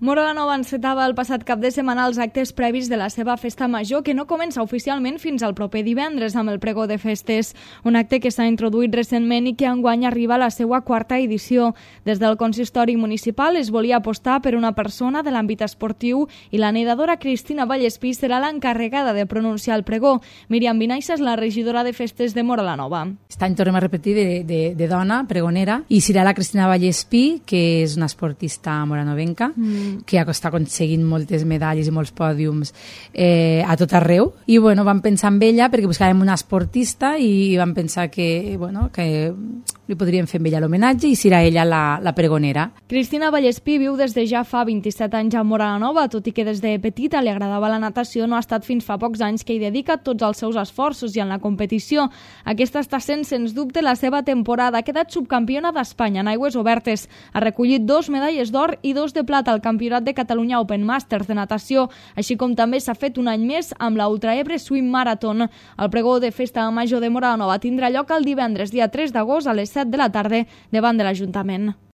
Móra la Nova encetava el passat cap de setmana els actes previs de la seva festa major, que no comença oficialment fins al proper divendres amb el pregó de festes, un acte que s'ha introduït recentment i que enguany arriba a la seva quarta edició. Des del consistori municipal es volia apostar per una persona de l'àmbit esportiu i la nedadora Cristina Vallespí serà l'encarregada de pronunciar el pregó. Míriam Vinaixa és la regidora de festes de Móra la Nova. Aquest any tornem a repetir de dona, pregonera, i serà la Cristina Vallespí, que és una esportista moranovenca, que està aconseguint moltes medalles i molts pòdiums a tot arreu. I bueno, vam pensar en ella perquè buscàvem una esportista i vam pensar que li podríem fer amb ella l'homenatge i serà ella la pregonera. Cristina Vallespí viu des de ja fa 27 anys a Móra la Nova, tot i que des de petita li agradava la natació, no ha estat fins fa pocs anys que hi dedica tots els seus esforços i en la competició. Aquesta està sent, sens dubte, la seva temporada. Ha quedat subcampiona d'Espanya en aigües obertes. Ha recollit 2 medalles d'or i 2 de plata al Campionat de Catalunya Open Masters de natació, així com també s'ha fet un any més amb la Ultra Ebre Swim Marathon. El pregó de festa major de Móra la Nova tindrà lloc el divendres, dia 3 d'agost, a les 7 de la tarda, davant de l'Ajuntament.